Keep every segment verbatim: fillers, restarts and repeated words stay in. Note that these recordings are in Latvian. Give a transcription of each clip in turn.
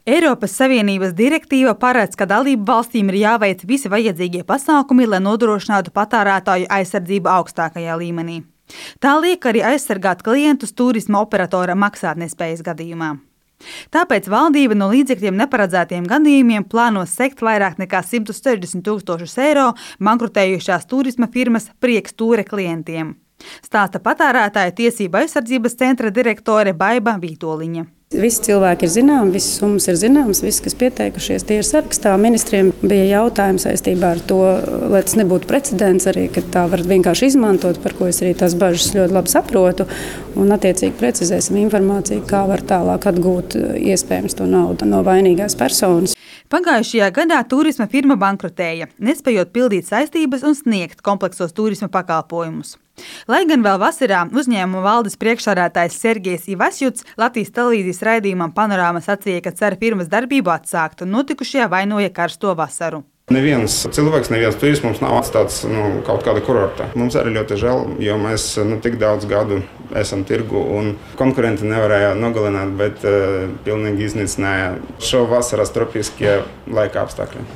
Eiropas Savienības direktīva paredz, ka dalību valstīm ir jāveic visi vajadzīgie pasākumi, lai nodrošinātu patērētāju aizsardzību augstākajā līmenī. Tā liek arī aizsargāt klientus turisma operatora maksātnespējas gadījumā. Tāpēc valdība no līdzekļiem neparedzētiem gadījumiem plāno sekt vairāk nekā simt sešdesmit tūkstošus eiro bankrotējušās turisma firmas Prieks Tūre klientiem. Stāsta patērētāju tiesību aizsardzības centra direktore Baiba Vītoliņa. Visi cilvēki ir zināmi, visas summas ir zināmas, visi, kas pieteikušies, tie ir sarakstā. Ministriem bija jautājumi saistībā ar to, lai tas nebūtu precedents arī, ka tā var vienkārši izmantot, par ko es arī tās bažas ļoti labi saprotu, un attiecīgi precizēsim informāciju, kā var tālāk atgūt iespējams to naudu no vainīgās personas. Pagājušajā gadā turisma firma bankrotēja, nespējot pildīt saistības un sniegt kompleksos turisma pakalpojumus. Lai gan vēl vasarā uzņēmuma valdes priekšsādātājs Sergejs Ivasjuts Latvijas televīzijas raidījumam Panorāma sacīja, ka cer firmas darbību atsākt un notikušajā vainoja karsto vasaru. Neviens cilvēks, neviens turists mums nav atstāts nu, kaut kāda kurorta. Mums arī ļoti žēl, jo mēs nu, tik daudz gadu esam tirgu un konkurenti nevarēja nogalināt, bet uh, pilnīgi iznīcināja šo vasaras tropiskie laika apstākļi.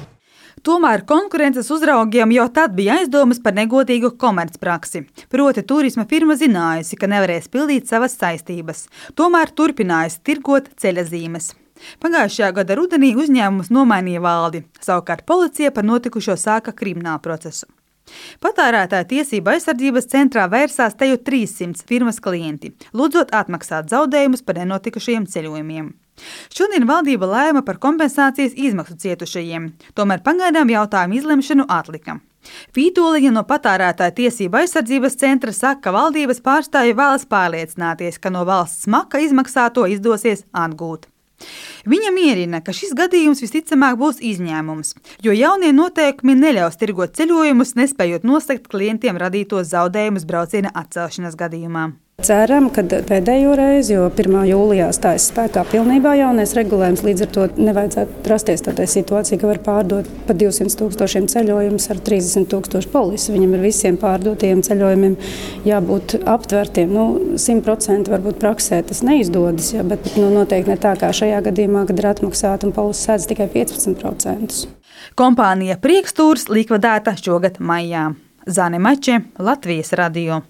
Tomēr konkurences uzraugiem jau tad bija aizdomas par negodīgu komercpraksi. Proti turisma firma zinājusi, ka nevarēs pildīt savas saistības. Tomēr turpinājusi tirgot ceļazīmes. Pagājušajā gada rudenī uzņēmums nomainīja valdi. Savukārt policija par notikušo sāka kriminālu procesu. Patērētāju tiesību aizsardzības centrā vērsās te jau trīssimts firmas klienti, lūdzot atmaksāt zaudējumus par nenotikušajiem ceļojumiem. Šodien valdība lēma par kompensācijas izmaksu cietušajiem, tomēr pagaidām jautājumu izlemšanu atlika. Vītoliņa no patērētāju tiesību aizsardzības centra saka, ka valdības pārstāvji vēlas pārliecināties, ka no valsts smaka izmaksāto izdosies atgūt. Viņa mierina, ka šis gadījums visticamāk būs izņēmums, jo jaunie noteikumi neļaus tirgot ceļojumus, nespējot nosegt klientiem radītos zaudējumus brauciena atcelšanas gadījumā. Ceram, ka pēdējo reizi, jo pirmā jūlijā stājas spēkā pilnībā jaunais regulējums, līdz ar to nevajadzētu rasties tādā situācija, ka var pārdot pa divsimt tūkstošiem ceļojumus ar trīsdesmit tūkstošu polisi. Viņam ir visiem pārdotiem ceļojumiem jābūt aptvertiem. Nu, simt procenti varbūt praksē tas neizdodas, ja, bet nu, noteikti ne tā kā šajā gadījumā, kad ir atmaksāta un polisi sēdz tikai piecpadsmit procentus. Kompānija Prieks Tūrs likvidēta šogad maijā. Zane Mače, Latvijas radio.